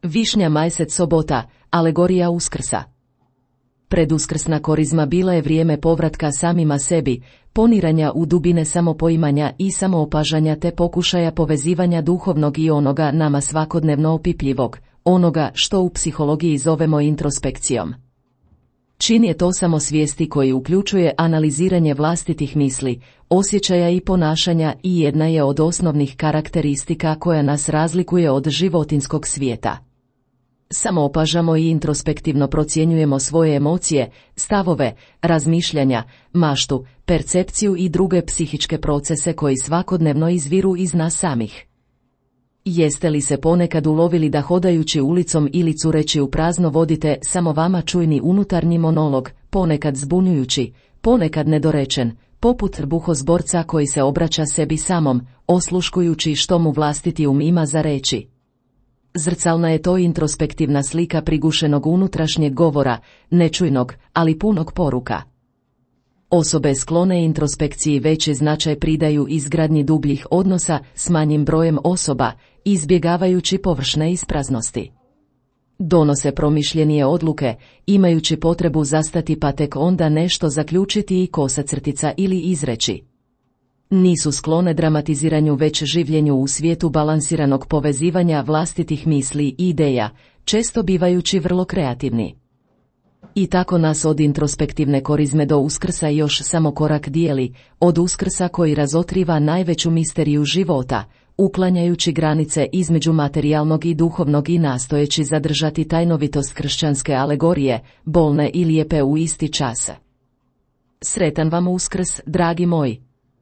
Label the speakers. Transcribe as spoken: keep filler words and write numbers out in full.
Speaker 1: Višnja majset sobota, alegorija Uskrsa. Preduskrsna korizma bila je vrijeme povratka samima sebi, poniranja u dubine samopoimanja i samoopažanja te pokušaja povezivanja duhovnog i onoga nama svakodnevno opipljivog, onoga što u psihologiji zovemo introspekcijom. Čin je to samosvijesti koji uključuje analiziranje vlastitih misli, osjećaja i ponašanja i jedna je od osnovnih karakteristika koja nas razlikuje od životinjskog svijeta. Samoopažamo i introspektivno procjenjujemo svoje emocije, stavove, razmišljanja, maštu, percepciju i druge psihičke procese koji svakodnevno izviru iz nas samih. Jeste li se ponekad ulovili da hodajući ulicom ili cureći u prazno vodite samo vama čujni unutarnji monolog, ponekad zbunjujući, ponekad nedorečen, poput trbuhozborca koji se obraća sebi samom, osluškujući što mu vlastiti um ima za reći? Zrcalna je to introspektivna slika prigušenog unutrašnjeg govora, nečujnog, ali punog poruka. Osobe sklone introspekciji veći značaj pridaju izgradnji dubljih odnosa s manjim brojem osoba, izbjegavajući površne ispraznosti. Donose promišljenije odluke, imajući potrebu zastati pa tek onda nešto zaključiti i kosa crtica ili izreći. Nisu sklone dramatiziranju već življenju u svijetu balansiranog povezivanja vlastitih misli i ideja, često bivajući vrlo kreativni. I tako nas od introspektivne korizme do Uskrsa još samo korak dijeli, od Uskrsa koji razotkriva najveću misteriju života, uklanjajući granice između materijalnog i duhovnog i nastojeći zadržati tajnovitost kršćanske alegorije, bolne i lijepe u isti čas. Sretan vam Uskrs, dragi moji!